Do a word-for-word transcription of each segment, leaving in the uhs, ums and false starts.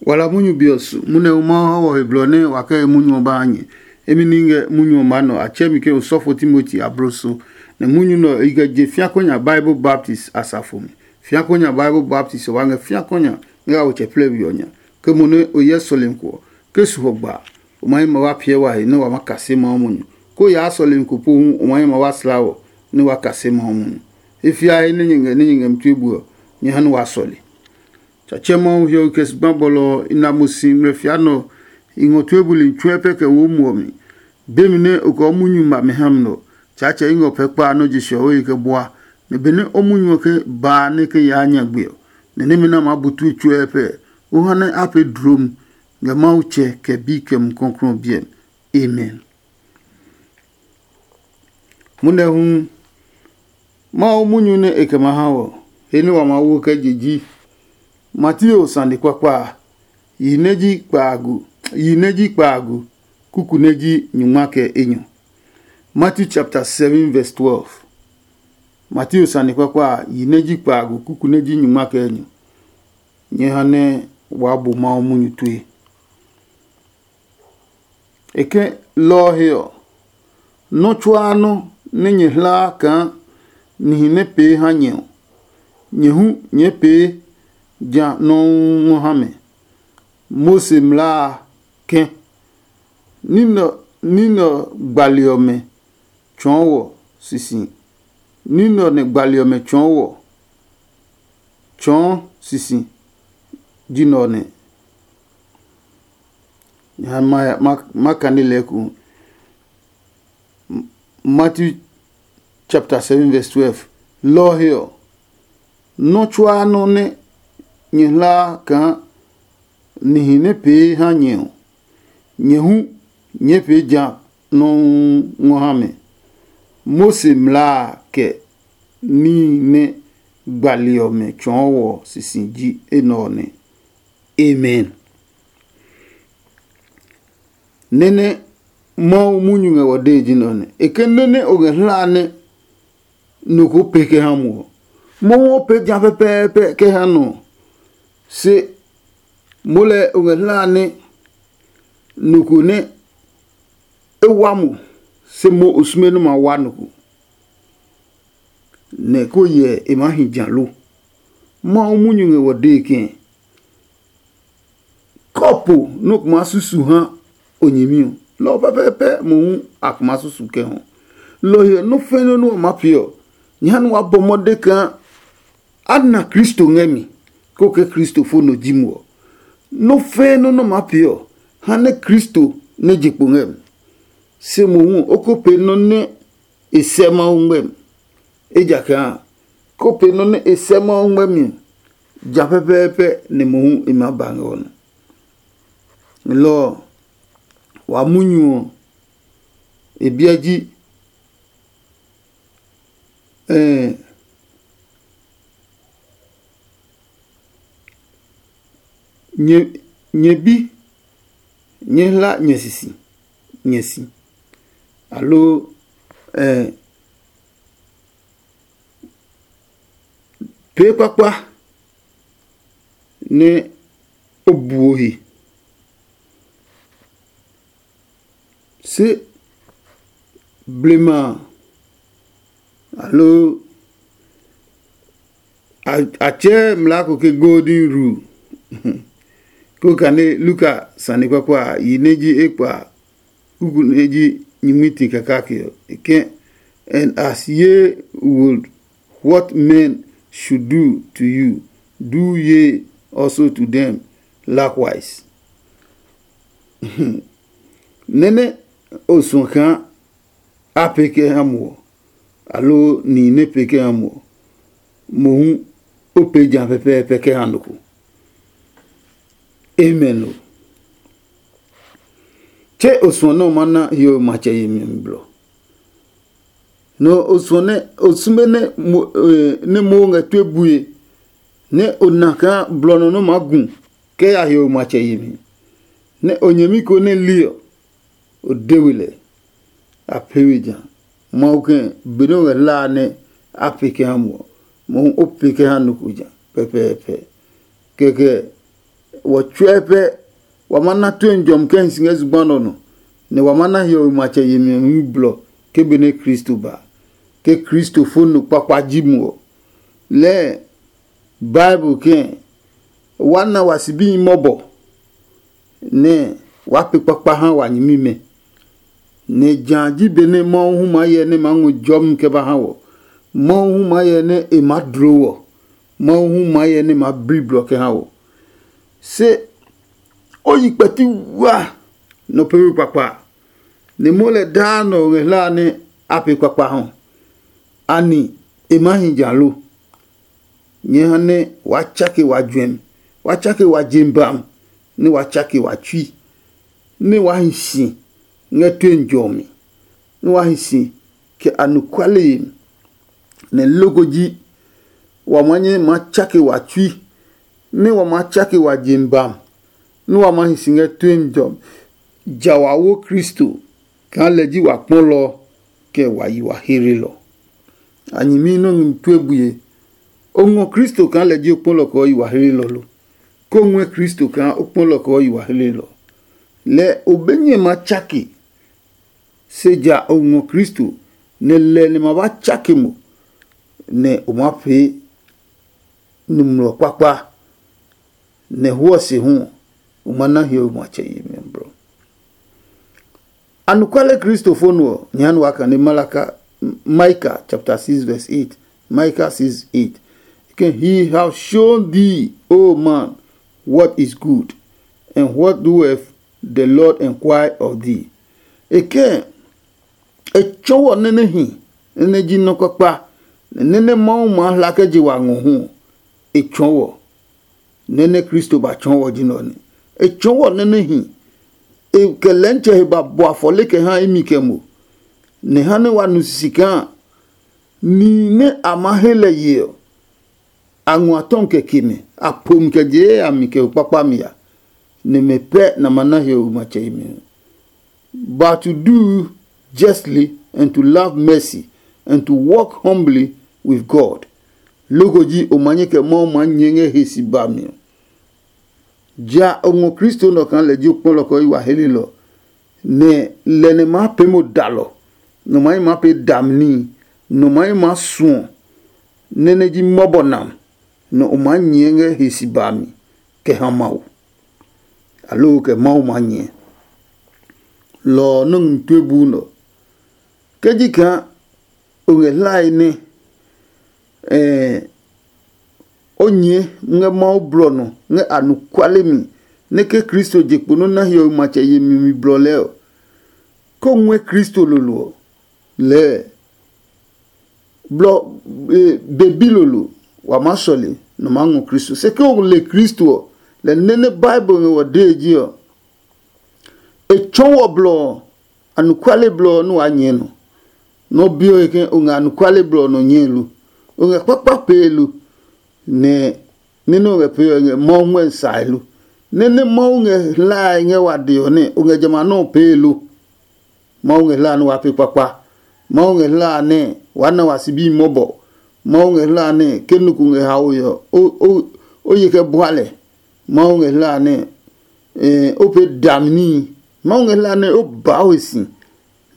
Wala munyu be ɔ su, munɛ hu Mawu ha wɔ he blɔ nɛ wa kɛ he munyu ɔ ba ha nyɛ. Emi ni ngɛ munyu ɔ maa nɔ, a tsɛ mi ke osɔfo Timoti abloso, nɛ munyu nɛ ɔ i kɛ je fiakonya Bible baptis a safo mi. Fiakonya Bible baptis ɔ wa ngɛ fiakonya ngɛ a wotsɛ plɛ we ɔ nya, ke mo nɛ o hyɛ sɔlemi ko ɔ, ke su hɔ gba a, o ma hi ma wa piɛ wa he nɛ wa ma kase Mawu munyu, ko yaa sɔlemi ko pohu o ma hi ma wa slaa wɔ nɛ wa kase Mawu munyu. He fiae nɛ nyɛ ngɛ nɛ nyɛ ngɛ mi tue bue ɔ, nyɛ ha nɛ wa sɔle. Tsatsɛ Mawu hiɔwe kɛ zugba bɔlɔ ɔ i na mo si ngmlɛfia nɛ ɔ, i ngɔ tue buli tsuɛ pɛ kɛ wo muɔ mi. Be mi nɛ o kɛ o munyu ma mi ha mi nɛ ɔ, Tsaatsɛ i ngɛ o pɛ kpa nɛ o je siɔwe he kɛ bua, nɛ benɛ o munyu ɔ ke baa nɛ ke yaa nyagbe ɔ, nɛ nɛmɛ nɛ a maa bu tue tsuɛ pɛ, o ha nɛ a pee dlom ngɛ Mawu Tsɛ kɛ Bi kɛ Mumi Klɔuklɔu ɔ biɛ mi. Amen. Munɛ hu, Mawu munyu nɛ e kɛ ma ha wɔ, he nɛ wa maa wo kɛ je ji Mateo sane kpakpa a, yi nɛ ji kpaagu, yi nɛ ji kpaagu, kuku nɛ ji nyungma kɛ enyɔ. Matthew chapter seven verse twelve. Mateo sane kpakpa a, yi nɛ ji kpaagu, kuku nɛ ji nyungma kɛ enyɔ. Nyɛ ha nɛ waa bu Mawu munyu tue. E ke lɔ ɔ he ɔ, nɔ́ tsuaa nɔ́ nɛ nyɛ hlaa kaa nihi nɛ pee ha nyɛ ɔ, nyɛ hu nyɛɛ pee ja nɔuu ngɔ ha mɛ. Mose mlaa a kɛ̃, ní nɛ ɔ gbali ɔmɛ tsɔɔ wɔ sisi, ní nɛ ɔ nɛ gbali ɔmɛ tsɔɔ wɔ tsɔɔ sisi ji nɛ ɔ nɛ. Nya ma, ma, ma kane lɛɛ eko. Matthew chapter seven verse twelve. Lɔ ɔ he ɔ, nɔ́ tsuaa nɔ́ nɛ nyɛ hlaa kaa nihi nɛ pee ha nyɛ ɔ, nyɛ hu nyɛɛ pee ja nɔuu ngɔ ha mɛ. Mose mlaa a kɛ níhi nɛ gbali ɔmɛ tsɔɔ wɔ sisi ji enɛ ɔ nɛ. Amen. Nɛ́ nɛ Mawu munyu ngɛ wɔ dee ji nɛ ɔ nɛ. E ke nɔ́ nɛ o ngɛ hlaa nɛ nɔ ko pee kɛ ha mo ɔ, Mawu ɔ pee ja pɛpɛɛpɛ kɛ ha nɔ ɔ. Se mo lɛ o ngɛ hlaa nɛ nɔ ko nɛ e wa mo, se mo o sume nɛ ma wa nɔ ko, nɛ ko hyɛ e maa hi ja lo. Mawu munyu ngɛ wɔ dee kɛ̃. Kɔpo nɛ o kuma susu ha o nyɛmi ɔ, lɔ ɔ pɛpɛɛpɛ mohu a kuma susu kɛ hɔ. Lɔ ɔ he ɔ, nɔ́ fɛ̃ nɔ́ nɛ wa maa pee ɔ, nyɛ ha nɛ waa bɔ mɔde kaa a na Kristo ngɛ mi, kó ke Kristo fo nɔ ji mo ɔ. Nɔ́ fɛ̃ nɔ́ nɛ o maa pee ɔ, ha nɛ Kristo nɛ je kpo ngɛ mi. Se mohu ɔ, o ko pee nɔ́ nɛ e sɛ Mawu ngmɛmi. Ejakaa a, ko pee nɔ́ nɛ e sɛ Mawu ngmɛmi ɔ, ja pɛpɛɛpɛ nɛ mohu e maa ba ngɛ ɔ nɔ. Lɔ ɔ, wa munyu ɔ, e biɛ ji ɛɛ nyɛ nyɛ bi nyɛ hla nyɛ sisi nyɛ si, aloo ɛɛ pee kpakpa nɛ o buo he. Se blema a, aloo a tsɛɛ mlaa ko ke golden rule. Ko kane Luka sane kpakpa a, yi nɛ ji ekpa a, kuku nɛ ji nyingmiti kake ɔ, e ke, and as ye would what men should do to you, do ye also to them likewise. Nɛ́ nɛ o suɔ kaa a pee kɛ ha mo ɔ, aloo nihi nɛ pee kɛ ha mo ɔ, mohu o pee ja pɛpɛɛpɛ kɛ ha nɔ ko. Amen lo. Tse o suɔ nɛ o ma na hiɔwe matsɛ yemi ɔ mi blɔ. Nɔ o suɔ nɛ o sume nɛ mo nɛ mo ngɛ tue bue, nɛ o na kaa blɔ nɔ nɛ o maa gu kɛ ya hiɔwe matsɛ yemi, nɛ o nyɛmi ko nɛ li ɔ, o de we lɛ. A pee we ja. Mawu kɛ benɛ o ngɛ hlaa nɛ a pee kɛ ha mo ɔ, mohu o pee kɛ ha nɔ ko ja pɛpɛɛpɛ. Kɛkɛ wɔ tsuɛ pɛ wa ma na tue jɔmi kɛ hi si ngɛ zugba nɔ nɔ, nɛ wa ma na hiɔwe matsɛ yemi ɔ hu blɔ ke benɛ Kristo ba. Ke Kristo fo no kpakpa ji mo ɔ, lɛɛ Bible kɛ̃ wa na wa sibihi mɔbɔ nɛ wa pe kpakpa ha wa nyɛmimɛ. Nɛ jã ji benɛ Mawu hu maa hyɛ nɛ maa ngɔ jɔmi kɛ ba ha wɔ. Mawu hu maa hyɛ nɛ e maa dlo wɔ. Mawu hu maa hyɛ nɛ maa bli blɔ kɛ ha wɔ. Se o yi kpɛti wa nɔ pewe kpakpa, nɛ mo lɛ daa nɔ ngɛ hla nɛ a pe kpakpa hɔ. Ani e maa hi ja lo? Nyɛ ha nɛ waa tsake wa juɛmi, waa tsake wa jem bam, nɛ waa tsake wa tsui, nɛ waa hi si ngɛ tue njɔ ɔ mi, nɛ waa hi si kɛ anɔkuale yemi. Nɛ loko ji wa maa nyɛ maa tsake wa tsui, nɛ wa maa tsake wa jem bam, nɛ wa maa hi si ngɛ tue njɔ ɔ mi. Ja wa wo Kristo kaa lɛ ji wa kpɔlɔ kɛ wa yi wa heelɔ. A nyɛmi nɔ́ ngmi tue bue. O ngɔ Kristo kaa lɛ ji o kpɔlɔ kɛ o yi wa heelɔ lo? Ko ngɔɛ Kristo kaa o kpɔlɔ kɛ o yi wa heelɔ? Lɛ o be nyɛ ma tsake, se ja o ngɔ Kristo, nɛ lɛ nɛ ma ba tsake mo, nɛ o maa pee numlɔ kpakpa, nɛ huɔ se hu ɔ, o ma na hiɔwe matsɛ yemi ɔ blɔ. Anɔkuale Kristofo nɔ ɔ, nyɛ ha nɛ waa kane Malaka, Micah chapter six verse eight. Micah six eight. He have shown thee, O man, what is good, and what doeth the Lord inquire of thee. E kɛ e tsɔɔ wɔ nɛ nɛ hi, nɛ nɛ ji nɔ́ kpakpa, nɛ nɛ Mawu maa hla kɛ je wa ngɔ hu ɔ, e tsɔɔ wɔ. Nɛ nɛ Kristo ba tsɔɔ wɔ ji nɛ ɔ nɛ. E tsɔɔ wɔ nɛ nɛ hi, e kɛ lɛntsɛ he ba bua fɔle kɛ ha imi kɛ mo, nɛ ha nɛ wa nu sisi kaa nihi nɛ a maa he lɛ ye ɔ, a ngua tɔmi kɛ ke mɛ, a po mi kɛ je yayami kɛ ho kpakpami ya, nɛ mɛ pɛ nɛ a ma na hiɔwe matsɛ yemi ɔ. But to do justly, and to love mercy, and to walk humbly with God. Loko ji o ma nyɛ kɛ Mawu maa nyɛɛ ngɛ he si ba mi ɔ. Ja o ngɔ Kristo nɔ kaa lɛ ji o kpɔlɔ kɛ o yi wa helelɔ, nɛ lɛ nɛ maa pee mo dalɔ, nɔ maa yi maa pee dami níhi, nɔ maa yi maa suɔ, nɛ nɛ ji mɔbɔ nam, nɛ o maa nyɛɛ ngɛ he si ba mi kɛ ha Mawu. Aloo kɛ Mawu maa nyɛɛ. Lɔ ɔ nɔ́ ngmi tue buu nɛ ɔ. Ke ji kaa o ngɛ hlae nɛ ɛɛ o nyɛɛ ngɛ Mawu blɔ nɔ ngɛ anɔkuale mi, nɛ ke Kristo je kpo nɔ́ na hiɔwe matsɛ yemi mi blɔ lɛɛ ɔ, ko ngɔɛ Kristo lolo ɔ, lɛɛ blɔ be bilolo wa maa sɔle nɔ maa ngɔ Kristo. Se ke o le Kristo ɔ, lɛ nɛ nɛ Bible ngɛ wɔ dee ji ɔ, e tsɔɔ wɔ blɔ ɔ, anɔkuale blɔ ɔ nɛ waa nyɛɛ nɔ. Nɔ bi ɔ he ke o ngɛ anɔkuale blɔ ɔ nɔ nyɛe lo? O ngɛ kpakpa pee lo? Nɛ ní nɛ o ngɛ pee ɔ ngɛ Mawu ngmɛmi sae lo? Nɛ nɛ Mawu ngɛ hlae ngɛ wa de ɔ nɛ o ngɛ jamɛ a nɔ́ ɔ pee lo? Mawu ngɛ hla nɛ waa pee kpakpa. Mawu ngɛ hla nɛ waa na wa sibi mɔbɔ. Mawu ngɛ hla nɛ ke nɔ ko ngɛ haoe ɔ, o ye kɛ bua lɛ. Mawu ngɛ hla nɛ o pee dami níhi. Mawu ngɛ hla nɛ o baa we si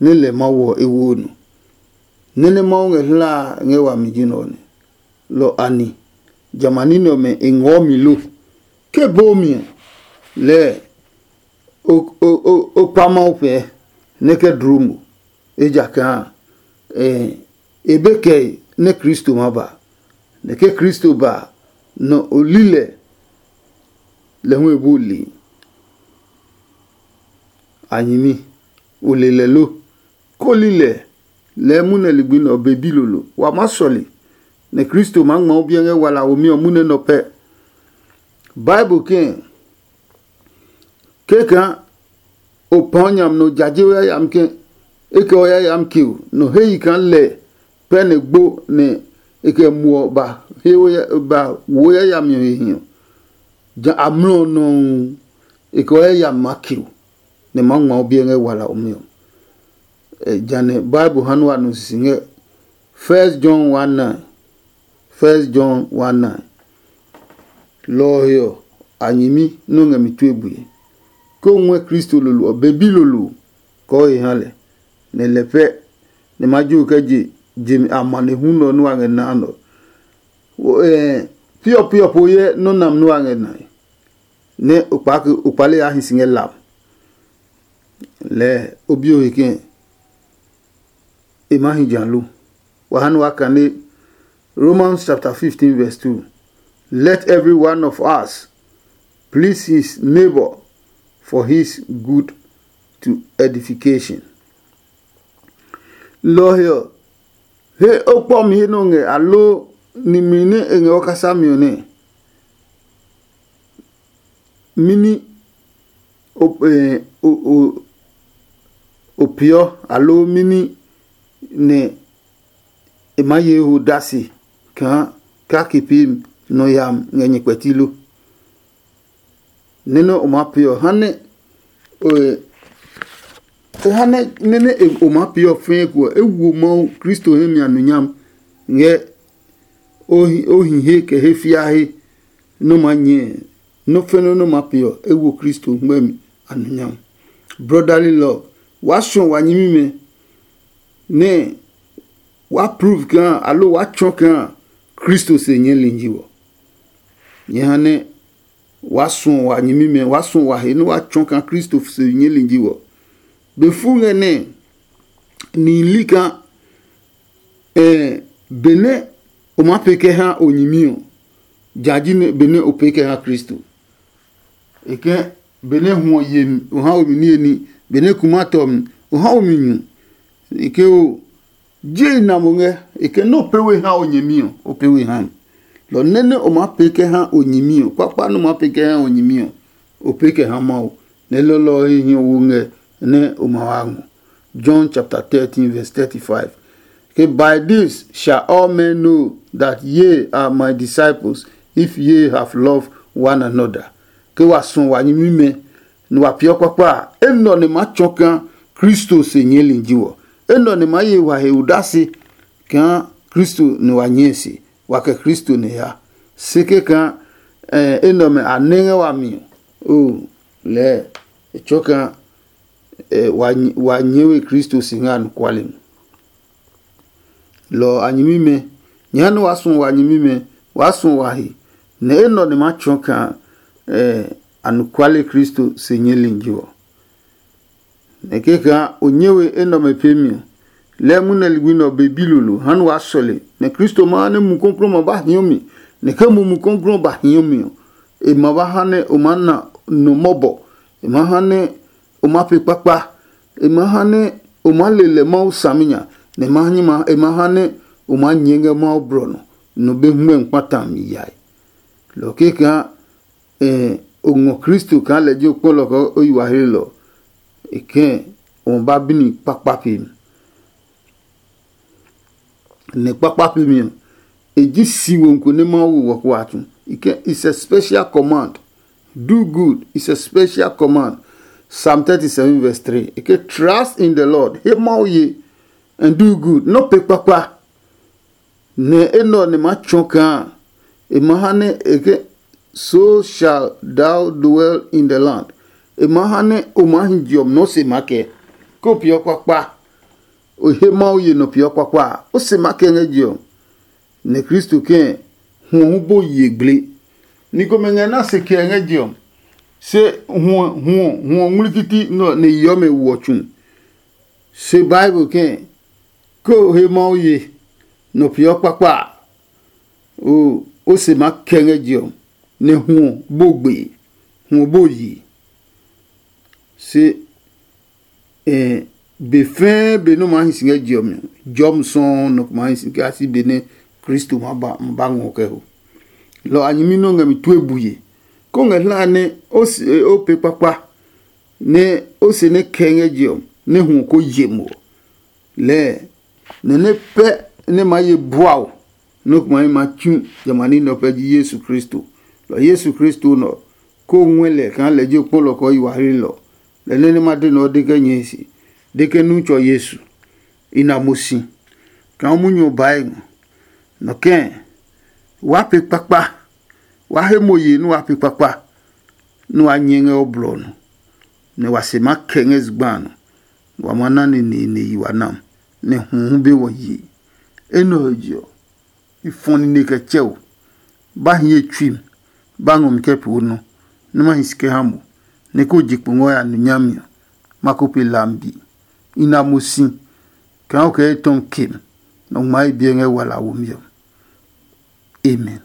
nɛ lɛ Mawu ɔ e wo nɔ. Nɛ́ nɛ Mawu ngɛ hla ngɛ wami ji nɛ ɔ nɛ. Lɔ ani, jamɛ a ní nɛ ɔmɛ e ngɔɔ mi lo? Ke boo mi ɔ, lɛɛ o kpa Mawu pɛɛ nɛ kɛ dloo mo, ejakaa e be kɛe nɛ Kristo ma ba. Nɛ ke Kristo ba a, nɔ o li lɛ, lɛ hu e bu le. A nyɛmi, o le lɛ lo? Ko li lɛ, lɛɛ munɛ ligbi nɛ ɔ be bilolo. Wa maa sɔle, nɛ Kristo maa ngma o biɛ ngɛ wala womi ɔ munɛ nɔ pɛ. Bible kɛ̃, kɛkaa o pãa nyam nɛ o jaje o yayami ke e kɛ o yayami keo, nɔ he yi kaa lɛ pɛ nɛ gbo nɛ e kɛ muɔ ba he ba wo yayami ɔ he hi ɔ, ja amlɔ ɔ nɔuu e kɛ o yayami maa keo, nɛ maa ngma o biɛ ngɛ wala ɔ mi ɔ. Janɛ Bible ha nɛ wa nu sisi ngɛ First John one nine. First John one nine. Lɔ ɔ he ɔ, a nyɛmi nɛ o ngɛ mi tue bue. Ke o ngɔɛ Kristo lolo ɔ, be bi lolo kɔɔ he ha lɛ, nɛ lɛ pɛ nɛ ma jo kɛ je je mi amanehlu nɔ nɛ wa ngɛ naa nɔ. Piɔ piɔ po yɛ nɔ́ nam nɛ wa ngɛ nae, nɛ o kpaa ke o kpale yaa hi si ngɛ lam. Lɛɛ o bi o he kɛ̃ e ma hi ja lo. Wa ha nɛ wa kane Romans chapter fifteen verse two. Let every one of us please his neighbor for his good to edification. Lɔ ɔ he ɔ, he o kpɔ mi he nɔ ngɛ aloo nimli nɛ e ngɛ o kasa mi ɔ nɛ? Mini o, eh, o, o, o peeɔ, aloo mini nɛ e maa ye ho dasi kaa kake pee nɔ yami ngɛ nyɛ kpɛti lo? Nɛ nɛ o maa pee ɔ, ha nɛ o, e ha nɛ nɛ nɛ e- o maa pee ɔ fɛɛ ko ɔ, e wo Mawu Kristo hɛ mi anunyam ngɛ o hi- o hi he kɛ he fia he nɔ maa nyɛɛ. Nɔ́ fɛnɛ nɔ maa pee ɔ, e wo Kristo ngmɛmi anunyam. Brotherly love, waa suɔ wa nyɛmimɛ nɛ waa prove kaa aloo waa tsɔ kaa Kristo se nyɛɛ linji wɔ. Nyɛ ha nɛ waa suɔ wa nyɛmimɛ, waa suɔ wa he nɛ waa tsɔ kaa Kristo se nyɛɛ linji wɔ. Be fu ngɛ nɛ nihi li kaa, eh, benɛ o maa pee kɛ ha o nyɛmi ɔ, ja ji nɛ benɛ o pee kɛ ha Kristo. E kɛ benɛ hwɔ yemi o ha o mi niye ní, benɛ kuma tɔ mi o ha o mi nyu. E ke o je i na mo ngɛ, e ke nɛ o pee we ha o nyɛmi ɔ, o pee we ha mi. Lɔ nɛ nɛ o maa pee kɛ ha o nyɛmi ɔ, kpakpa nɛ o maa pee kɛ ha o nyɛmi ɔ, o pee kɛ ha Mawu. Nɛ lɔlɔ ɔ he hiɔ wo ngɛ nɛ o ma wa ngɔ. John chapter thirteen verse thirty-five. Ke, by this shall all men know that ye are my disciples, if ye have love one another. Ke wa suɔ wa nyɛmimɛ, nɛ wa peeɔ kpakpa a, enɛ ɔ nɛ maa tsɔ kaa Kristo se nyɛɛli ji wɔ. Enɛ ɔ nɛ maa ye wa he odase kaa Kristo nɛ wa nyɛɛ se, wa kɛ Kristo nɛ ya. Se kɛkaa enɛ ɔmɛ a nɛ ngɛ wami ɔ, oo, lɛɛ e tsɔɔ kaa wa nyɛɛ we Kristo si ngɛ anɔkuale mi. Lɔ ɔ a nyɛmimɛ, nyɛɛ nɛ waa suɔ wa nyɛmimɛ, waa suɔ wa he, nɛ enɛ ɔ nɛ maa tsɔɔ kaa anɔkuale Kristo se nyɛɛli ji ɔ. Nɛ kɛkaa o nyɛ we enɛ ɔmɛ peemi ɔ, lɛɛ munɛ ligbi nɛ ɔ be bilolo ha nɛ waa sɔle, nɛ Kristo ma ha nɛ Mumi Klɔuklɔu ma ba hiɔ mi, nɛ ke Mumi Klɔuklɔu ba hiɔ mi ɔ, e ma ba ha nɛ o maa na no mɔbɔ, e ma ha nɛ o maa pe kpakpa, e ma ha nɛ o maa le lɛ Mawu saminya, nɛ e ma ha nɛ o maa nyɛɛ ngɛ Mawu blɔ nɔ, nɔ be hwɛmi kpata mi yae. Lɔ kɛkaa o ngɔ Kristo kaa lɛ ji o kpɔlɔ kɛ o yi wa hlelɔ, e kɛ̃ o ma ba bini kpakpa pe mi. Nɛ kpakpa pe mi ɔ, e ji si wo ko nɛ Mawu wo wɔ kó wa tsu. E kɛ̃, it's a special command. Do good, it's a special command. Psalm thirty-seven verse three. E ke, trust in the Lord, he Mawu ye, and do good, nɔ pe kpakpa. Nɛ enɛ ɔ nɛ maa tsɔɔ kaa e ma ha nɛ e ke, so shall thou dwell in the land. E ma ha nɛ o maa hi je ɔ mi nɛ o se maa kɛ. Ke o peeɔ kpakpa, o he Mawu ye nɔ peeɔ kpakpa a, o se maa kɛ ngɛ je ɔ. Nɛ Kristo kɛ̃ hwɔ hu bo ye gble. Ni komɛ ngɛ na se kɛ ngɛ je ɔ, se hwɔ hwɔ hwɔ ngmlekiti nɛ ɔ nɛ yeɔ mɛ woɔ tsu. Se Bible kɛ̃, ke o he Mawu ye, nɔ peeɔ kpakpa a, o o se maa kɛ ngɛ je ɔ, nɛ hwɔ bo gbe, hwɔ bo yi. Se be fɛɛ be nɛ o maa hi si ngɛ je ɔ mi ɔ, jɔmi sɔuu nɔ ko maa hi si kɛ a si be nɛ Kristo ma ba ma ba ngɔ kɛ ho. Lɔ a nyɛmi nɛ o ngɛ mi tue bue, kó ngɛ hlae nɛ o se o pee kpakpa, nɛ o se nɛ kɛ ngɛ je ɔ, nɛ hwɔ ko ye mo ɔ. Lɛɛ nɛ nɛ pɛ nɛ maa ye bua o, nɔ́ ko maa ma tsu jamɛ a ní nɛ ɔ pɛ ji Yesu Kristo. Lɔ Yesu Kristo nɛ ɔ, kó o ngɔɛ lɛ kaa lɛ ji o kpɔlɔ kɛ o yi wa hlilɔ. Lɛ nɛ nɛ ma de nɛ ɔ de kɛ nyɛe se, de ke nu tsɔ Yesu, i na mo si kaa o munyu ɔ baa e ngɔ. Nɔ kɛ̃, waa pe kpakpa, waa he mo ye nɛ waa pe kpakpa. nɛ wa nyɛ ngɛ o blɔ ɔ nɔ, nɛ wa se ma kɛ ngɛ zugba a nɔ, nɛ wa ma na neneene yi wa nam, nɛ hu hu be wɔ yee. Enɛ ɔ je ɔ, i fɔ nine kɛ tsɛ o. Ba hi ye tsui mi, ba ngɔ mi kɛ pee o nɔ, nɛ ma hi si kɛ ha mo, nɛ ko je kpo ngɔ ya nu nyami ɔ, ma ko pe lambi. I na mo si kaa o kɛ etɔmi ke mi, nɛ o ngma ye biɛ ngɛ wala womi ɔ. Amen.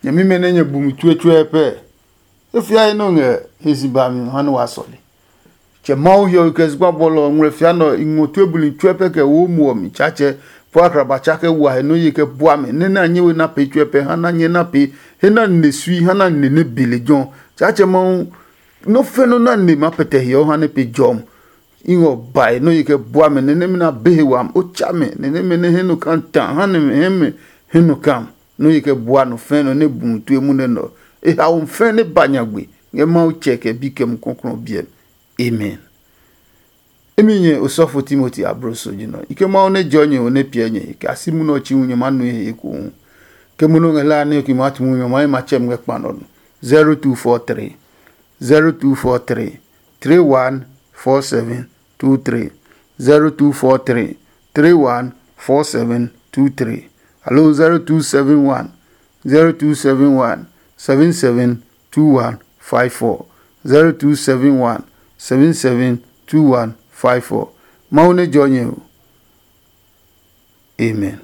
Nyɛmimɛ nɛ nyɛ bu mi tsuetsuɛ pɛ, e fiae nɔ ngɛ he si ba mi ha nɛ wa sɔle. Tsɛ Mawu hiɔwe kɛ zugba bɔlɔ ɔ ngmlɛ fia nɛ ɔ, i ngɔ tue buli tsuɛ pɛ kɛ wo muɔ mi. Tsaatsɛ, po akraba tsa kɛ wa he nɔ ye kɛ bua mɛ, nɛ na nyɛ we na pee tsuɛ pɛ ha na nyɛ na pee he na nine sui ha na nine nɛ be lejɛ ɔ. Tsaatsɛ Mawu, nɔ́ fɛ nɔ́ na nine ma pɛtɛ hiɔ ha nɛ pe jɔm. I ngɔ bae nɔ́ ye kɛ bua mɛ nɛ nɛmɛ na be he wam. O tsa mɛ nɛ nɛmɛ nɛ he nɔ kan ta ha nɛ mɛ hɛ mɛ he nɔ kam. Nɔ́ ye kɛ bua nɔ fɛ̃ nɔ nɛ bu tue munɛ nɛ ɔ. E haomi fɛ̃ nɛ ba nyagbe ngɛ Mawu tsɛ kɛ bi kɛ Mumi Klɔuklɔu biɛ mi. Amen. Imi nyɛ osɔfo Timoti abloso ji nɔ. I ke Mawu nɛ jɔ nyɛ ho nɛ piɛ nyɛ, kɛ a si munɛ ɔ chi hu nyɛ ma nue he ekohu. Ke munɛ o ngɛ hlaa nɛ o ki maa tu munyu ɔ, ma yi matsɛ mi ngɛ kpa nɔ nɔ. Zero two four three, zero two four three, three one four seven two three, zero two four three, three one four seven two three, aloo zero two seven one, zero two seven one, seven seven two one five four, zero two seven one, seven seven two one five four. Mawu nɛ jɔ nyɛ o. Amen.